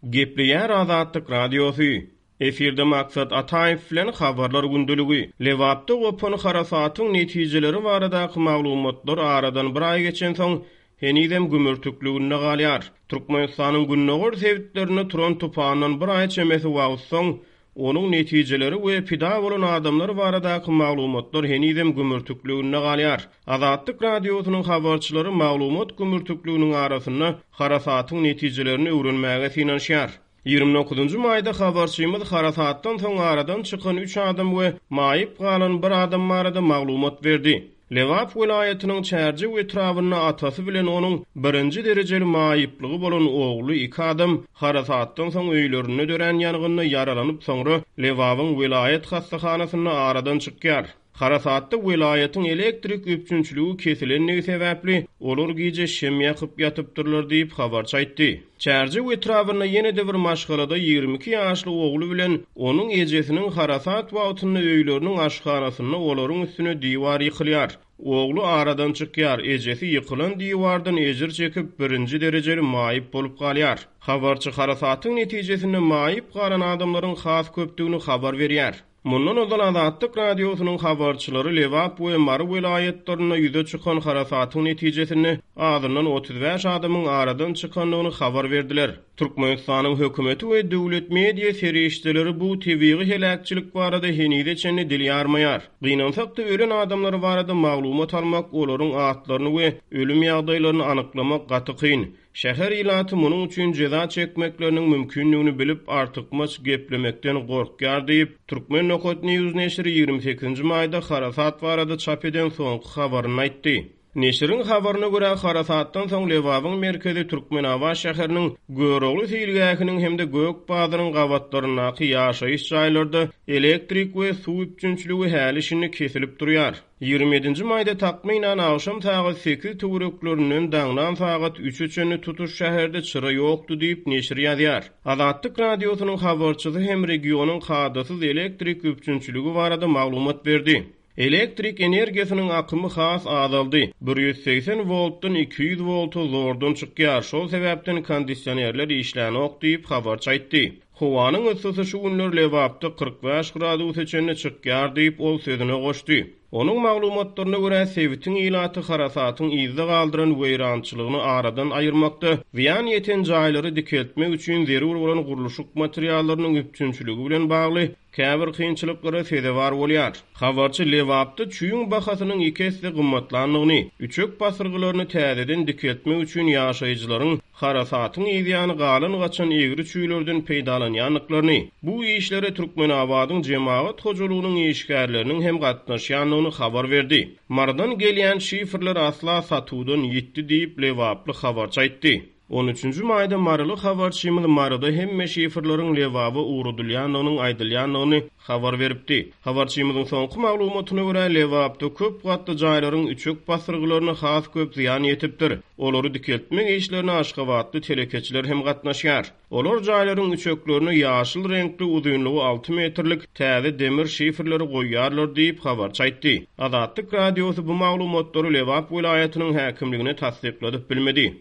Gepleýär Azatlyk Radiosy. Efirde Maksat Ataýew bilen Habarlar gündeligi. Lebapda gopan harasatyň netijeleri baradaky maglumatlar aradan bir aý geçensoň, henizem gümürtikliginde galýar. Türkmenistanyň gündogar sebitlerinde turan tupandan bir aý çemesi wagt soň, Onuň netijeleri we pida bolan adamlar baradaky maglumatlar henizem gümürtikliginde galýar. Azatlyk Radiosynyň habarçylary maglumat gümürtikliginiň arasynda harasatyň netijelerini öwrenmäge synanyşýar. 29 maýda habarçymyz harasatdan soň aradan çykan üç adam we maýyp galan bir adam barada maglumat berdi. Lebap welaýatynyň Çärjew etrabynda atasy bilen onuň birinji derejeli maýyplygy bolan ogly iki adam harasatdan soň öýlerinde dörän ýangynda ýaralanyp soňra Lebabyň welaýat hassahanasynda aradan çykýar. Harasatda welaýatyň elektrik üpjünçiligi kesilendigi sebäpli olar gije şem ýakyp ýatypdyrlar diýip habarçy aýtdy. Çärjew etrabynda ýene-de bir maşgalada 22 ýaşly ogly bilen onuň ejesiniň harasat wagtynda öýleriniň aşhanasynda olaryň üstüne diwar ýykylýar. Ogly aradan çykýar, ejesi ýykylan diwardan ejir çekip, birinji derejeli maýyp bolup galýar. Habarçy harasatyň netijesinde maýyp galan adamlaryň has köpdügini habar berýär. Mundan ozal Azatlyk Radiosynyň habarçylary Lebap we Mary welaýatlarynda ýüze çykan harasatyň netijesinde azyndan 35 adamyň aradan çykandygyny habar berdiler. Türkmenistanyň hökümeti we döwlet media serişdeleri bu tebigy heläkçilik barada henize çenli dil ýarmaýar. Gynansak-da, ölen adamlar barada maglumat almak, olaryň atlaryny we ölüm ýagdaýlaryny anyklamak gaty kyn. Şäher ilaty munuň üçin jeza çekmekleriniň mümkindigini bilip, artykmaç geplemekden gorkýar diýip, Turkmen. News neşiri 28-nji maýda harasat barada çap eden soňky habarynda aýtdy. Neşiriň habaryna görä, harasatdan soň Lebabyň merkezi Türkmenabat şäheriniň Görogly seýilgähiniň hem-de Gök bazaryň gabatlaryndaky ýaşaýyş jaýlarda elektrik we suw üpjünçiligi häli-şindi kesilip durýar. 27-nji maýda takmynan agşam sagat sekiz töwereklerinden daňdan sagat üçe çenli tutuş şäherde çyra ýokdy diýip, neşir ýazýar. Azatlyk Radiosynyň habarçysy hem regionyň kadasyz elektrik üpjünçiligi barada maglumat berdi. Elektrik energiýasynyň akymy has azaldy, 180 woltdan 200 wolta zordan çykýar, şol sebäpden kondisionerler işlänok diýip, habarçy aýtdy. Howanyň yssysy şu günler Lebapda 45 gradusa çenli çykýar diýip, ol sözüne goşdy. Onuň maglumatlaryna görä, sebitiň ilaty harasatyň yzda galdyran weýrançylygyny aradan aýyrmakda, zyýan ýeten jaýlary dikeltmek üçin zerur bolan gurluşyk materiallarynyň üpjünçiligi bilen bagly käbir kynçylyklara sezewar bolýar. Habarçy Lebapda çüýüň bahasynyň iki esse gymmatlandygyny, üçek basyrgylaryny täzeden dikeltmek üçin ýaşaýjylaryň harasatyň yzýany galan-gaçan egri çüýlerden peýdalanýandyklaryny, bu işlere Türkmenabadyň jemagat hojalygynyň işgärleriniň hem gatnaşýandygyny habar berdi. Marydan gelýän şifrler asla satuwdan ýitdi diýip, lebaply habarçy aýtdy. On üçünji maýda maryly habarçymyz Maryda hemme şifrleriň Lebaba ugradylýandygynyň aýdylýandygyny habar beripdi. Habarçymyzyň soňky maglumatyna görä, Lebapda köp gatly jaýlaryň üçek basyrgylaryna has köp zyýan ýetipdir. Olary dikeltmek işlerine aşgabatly telekeçiler hem gatnaşýar. Olar jaýlaryň üçeklerine ýaşyl reňkli uzynlygy alty metrlik täze demir şifrleri goýýarlar diýip, habarçy aýtdy. Azatlyk Radiosy bu maglumatlary Lebap welaýatynyň häkimligine tassykladyp bilmedi.